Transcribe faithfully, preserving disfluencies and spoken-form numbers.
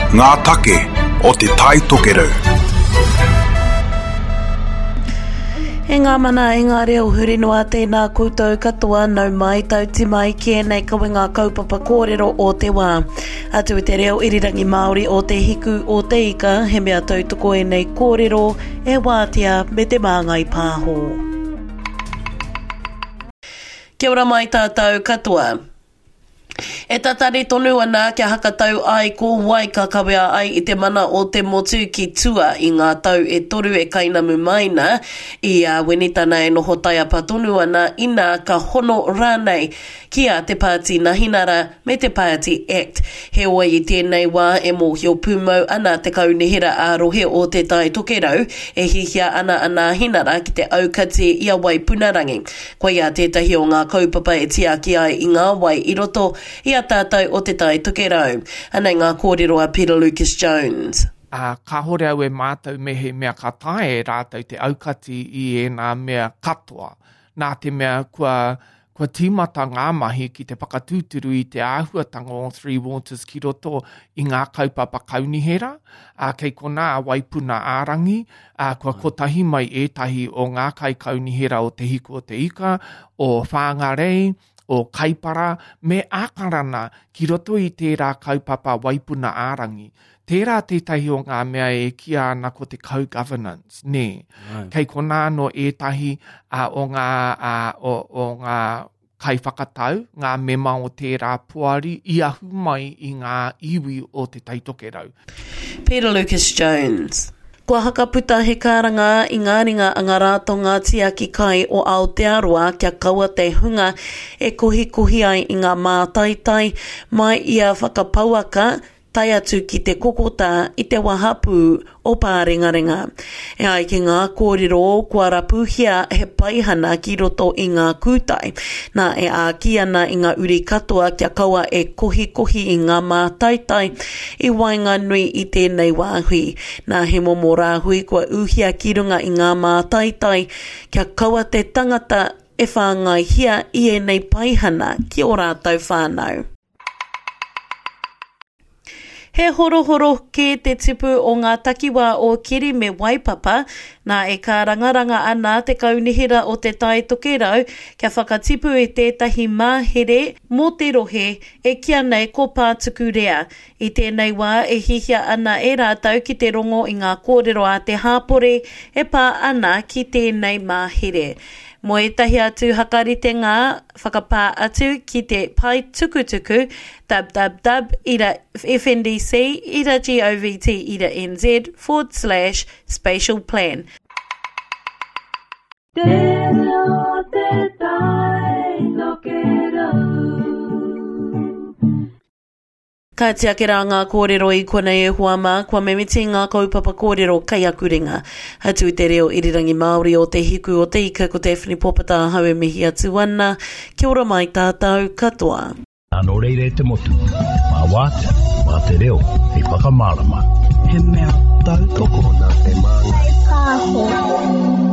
Ngā take o Te Tai Tokerau. E ngā mana, e ngā reo huri noa, tēnā koutou katoa, nau mai, tauti mai ki ēnei kawenga kaupapa kōrero o te wā. Atu i te reo irirangi Māori o Te Hiku o Te Ika, he mea tautoko ēnei kōrero e Wātea me Te Māngai Pāho. Kia ora mai tātou katoa. E tatari tonu ana kia hakatau ai ko wai ka kawea ai i te mana o te motu ki tua i ngā tau e toru e kainamu mai na, i a Winitana e noho taiapa tonu ana inā ka hono rānei ki a Te Pāti Nahinara me te Pāti Act. Heoi i tēnei wā e mōhio pūmau ana te kaunihera ā-rohe o Te Tai Tokerau e hihia ana a Nāhinara ki te aukati i a Waipunarangi. Koia tētahi o ngā kaupapa e tiaki ai i ngā wai i roto i a tātou o Te Tai Tokerau. Anei ngā kōrero a Peter Lucas Jones. Ā, kāhore au e mātau mehemea ka taea e rātou te aukati i ēnā mea katoa, nā te mea kua, kua tīmata ngā mahi ki te whakatūturu i te āhuatanga o Three Waters ki roto i ngā kaupapa kaunihera, ā, kei konā a Waipuna ā-rangi, ā, kua kotahi mai ētahi o ngā kaikaunihera o Te Hiku o Te Ika, o Whāngarei, o Kaipara me Ākarana ki roto i tērā kaupapa Waipuna ā-rangi. Tērā tētahi o ngā mea e kīia ana ko te co-governance, nē. Right. Kei konā anō ētahi uh, o ngā, uh, o, o ngā kaiwhakatau, ngā mema o tērā poari i ahu mai i ngā iwi o Te Tai Tokerau. Peter Lucas Jones. Kua hakaputa he karanga i ngā ringa a ngā ratonga tiaki kai o Aotearoa kia kaua te hunga e kohikohi ai i ngā mātaitai mai i a Whakapauaka tae atu ki te kokotā i te wahapū o Pārengarenga. E ai ki ngā kōrero kua rapuhia he paihana ki roto i ngā kūtai. Nā e āki ana i ngā uri katoa kia kaua e kohikohi i ngā mātaitai i waenganui i tēnei wāhui. Nā he momo rāhui kua uhia ki runga i ngā mātaitai kia kaua te tangata e whāngaihia i ēnei paihana ki ō rātou whānau. He horohoro kē te tipu o ngā takiwā o Keri me Waipapa, nā e kārangaranga ana te kaunihera o Te Tai Tokerau kia whakatipu i tētahi mahere mō te rohe e kīa nei ko Pātukurea. I tēnei wā e hihia ana e rātou ki te rongo i ngā kōrero a te hāpori e pā ana ki tēnei mahere. Mō ētahi atu hakaritenga whakapā atu ki te pae tukutuku www ira fndc ira govt ira nz forward slash spatial plan. Te reo te tai tokerau. Ka tiake rā ngā kōrero i konei e hoa mā, kua mimiti ngā kaupapa kōrero kei aku ringa. Atu i te reo irirangi Māori o Te Hiku o Te Ika, ko Daphne Popata ahau e mihi atu ana. Kia ora mai tātou katoa. Nā nō reira e te motu, mā wātea, mā te reo, hei whakamārama. He mea tautoko Nā te māngai. Pāho.